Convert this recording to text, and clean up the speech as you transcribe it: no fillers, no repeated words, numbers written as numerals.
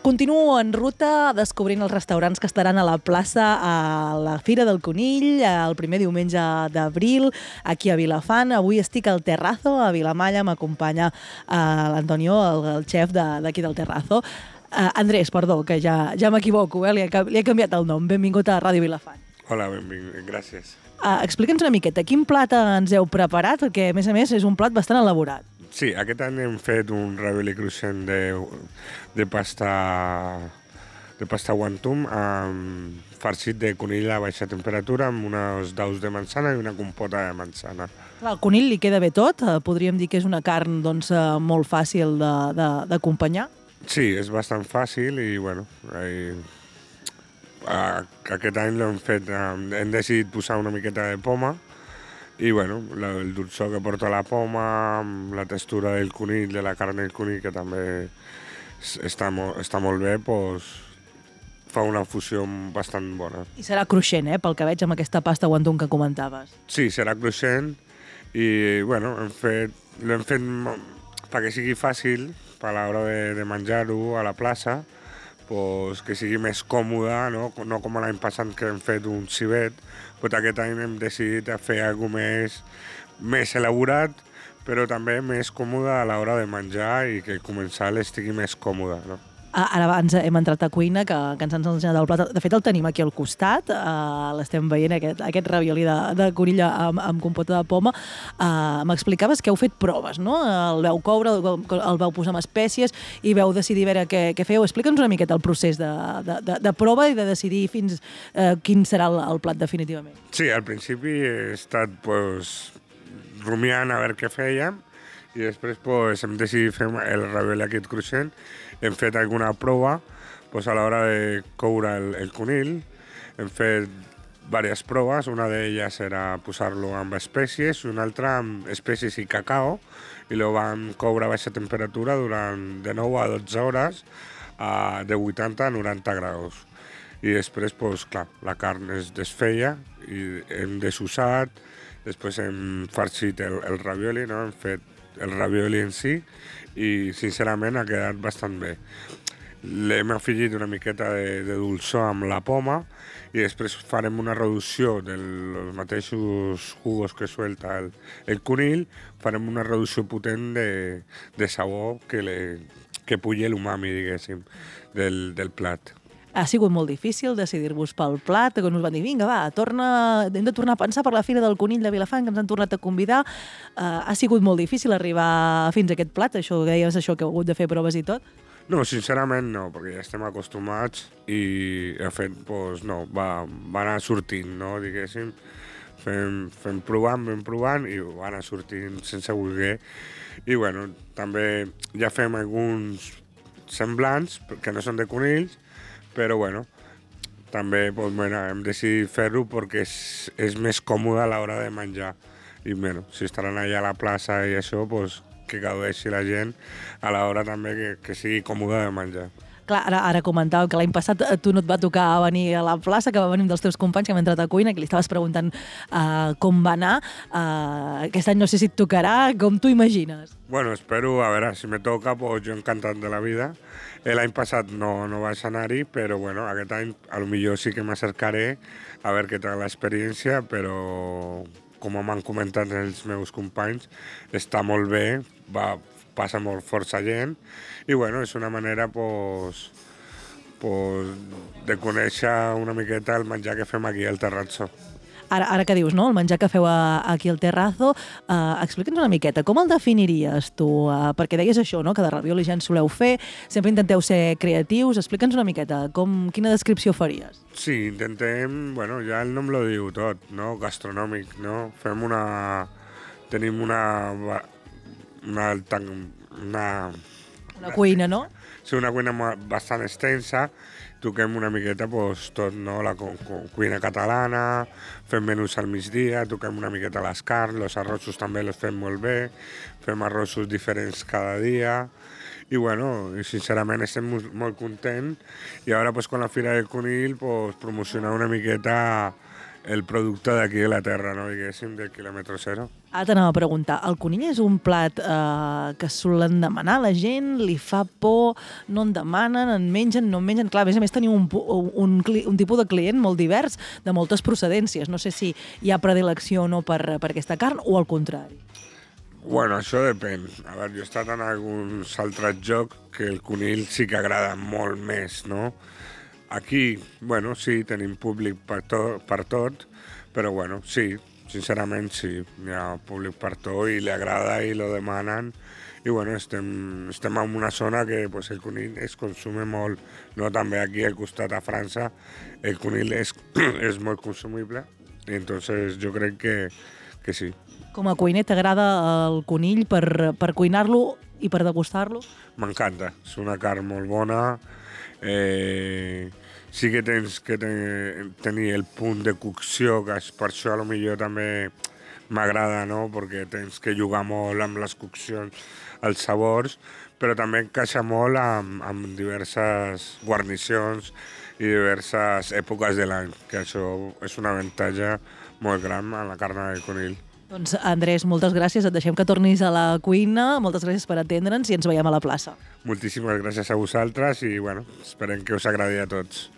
Continuo en ruta descobrint els restaurants que estaran a la plaça a la Fira del Conill el primer diumenge d'abril aquí a Vilafant. Avui estic al Terrazo, a Vilamalla, m'acompanya l'Antonio, el xef d'aquí del Terrazo. Andrés, perdó, que ja m'equivoco, li he canviat el nom. Benvingut a Ràdio Vilafant. Hola, benvingut, gràcies. Explica'ns una miqueta, quin plat ens heu preparat? Perquè, a més, és un plat bastant elaborat. Sí, aquest any hem fet un ravioli cruixent de pasta guantum farcit de conill a baixa temperatura amb uns daus de manzana i una compota de manzana. Clar, al conill li queda bé tot? Podríem dir que és una carn molt fàcil d'acompanyar? Sí, és bastant fàcil i bueno, aquest any l'hem fet, hem decidit posar una miqueta de poma i bueno, el dolçor que porta la poma, la textura del conill, de la carn del conill, que també està molt bé, doncs fa una fusió bastant bona. I serà cruixent, pel que veig amb aquesta pasta guantum que comentaves. Sí, serà cruixent i bueno, l'hem fet perquè sigui fàcil a l'hora de menjar-ho a la plaça, pues, que sigui més còmode, no com l'any passat que hem fet un civet, però aquest any hem decidit fer alguna cosa més elaborat, però també més còmode a l'hora de menjar i que el comensal estigui més còmode. No? Ara abans hem entrat a cuina, que ens han ensenyat el plat. De fet, el tenim aquí al costat. L'estem veient, aquest ravioli de conill amb compota de poma. M'explicaves que heu fet proves, no? El vau coure, el vau posar amb espècies i vau decidir veure què feu. Explica'ns una miqueta el procés de prova i de decidir fins quin serà el plat definitivament. Sí, al principi he estat rumiant a veure què fèiem i després hem decidit fer el ravioli aquest cruixent. Hem fet alguna prova a l'hora de coure el conill. Hem fet diverses proves, una d'elles era posar-lo amb espècies, una altra amb espècies i cacao, i lo vam coure a baixa temperatura durant de 9 a 12 hores de 80 a 90 graus. I després, clar, la carn es desfeia i hem desussat, després hem farcit el ravioli, no? Hem fet el ravioli en si i sincerament ha quedat bastant bé. L'hem afegit una miqueta de dolçor amb la poma i després farem una reducció dels mateixos jugos que suelta el conill, farem una reducció potent de sabor que pugui l'umami, diguéssim, del plat. Ha sigut molt difícil decidir-vos pel plat, quan us van dir, vinga, va, hem de tornar a pensar per la Fira del Conill de Vilafant, que ens han tornat a convidar. Ha sigut molt difícil arribar fins a aquest plat, això que deies, que heu hagut de fer proves i tot? No, sincerament no, perquè ja estem acostumats i de fet, va anar sortint, no, diguéssim. Fem provant i va anar sortint sense voler. I bueno, també ja fem alguns semblants, que no són de conills, però bueno, també hem decidit fer-ho perquè és més còmode a l'hora de menjar. I bueno, si estaran allà a la plaça i això, que gaudeixi la gent a l'hora també que sigui còmode de menjar. Clar, ara comentàveu que l'any passat tu no et va tocar venir a la plaça, que va venir un dels teus companys que hem entrat a cuina, que li estaves preguntant com va anar. Aquest any no sé si et tocarà, com t'ho imagines? Bueno, espero, a veure, si me toca, jo encantat de la vida. L'any passat no vaig anar-hi, però bueno, aquest any potser sí que m'acercaré a veure què tal l'experiència, però com m'han comentat els meus companys, està molt bé, passa molt força gent i bueno, és una manera de conèixer una miqueta el menjar que fem aquí al Terrazzo. Ara que dius, no?, el menjar que feu aquí al Terrazo, explica'ns una miqueta, com el definiries tu? Perquè deies això, no?, que de ravioli ja en soleu fer, sempre intenteu ser creatius. Explica'ns una miqueta, quina descripció faries? Sí, intentem, bueno, ja el nom lo diu tot, no?, gastronòmic, no? Tenim una cuina, no? Sí, una cuina bastant extensa, toquem una miqueta tot, no? La cuina catalana, fem menús al migdia, toquem una miqueta les carns, els arrossos també els fem molt bé, fem arrossos diferents cada dia, i bueno, sincerament estem molt contents, i ara quan la Fira del Conill promocionar una miqueta el producte d'aquí de la terra, no? Diguéssim, del quilòmetre zero. Ara t'anava a preguntar, el conill és un plat que solen demanar la gent, li fa por, no en demanen, en mengen, no en mengen? Clar, a més teniu un tipus de client molt divers, de moltes procedències. No sé si hi ha predilecció o no per aquesta carn, o al contrari. Bueno, això depèn. A veure, jo he estat en alguns altres jocs que el conill sí que agrada molt més, no? Aquí, bueno, sí, tenim públic per tot, però bueno, sí, sincerament sí, hi ha públic per tot i li agrada i lo demanen. I bueno, estem en una zona que pues, el conill es consume molt, no? També aquí al costat a França el conill és molt consumible i entonces jo crec que sí. Com a cuiner, t'agrada el conill per cuinar-lo i per degustar-lo? M'encanta, és una carn molt bona. Sí que tens que tenir el punt de cocció, que per això a lo millor també m'agrada, no? Perquè tens que jugar molt amb les coccions, els sabors, però també encaixa molt amb diverses guarnicions i diverses èpoques de l'any, que això és un avantatge molt gran a la carn de conill. Doncs, Andrés, moltes gràcies. Et deixem que tornis a la cuina. Moltes gràcies per atendre'ns i ens veiem a la plaça. Moltíssimes gràcies a vosaltres i bueno, esperem que us agradi a tots.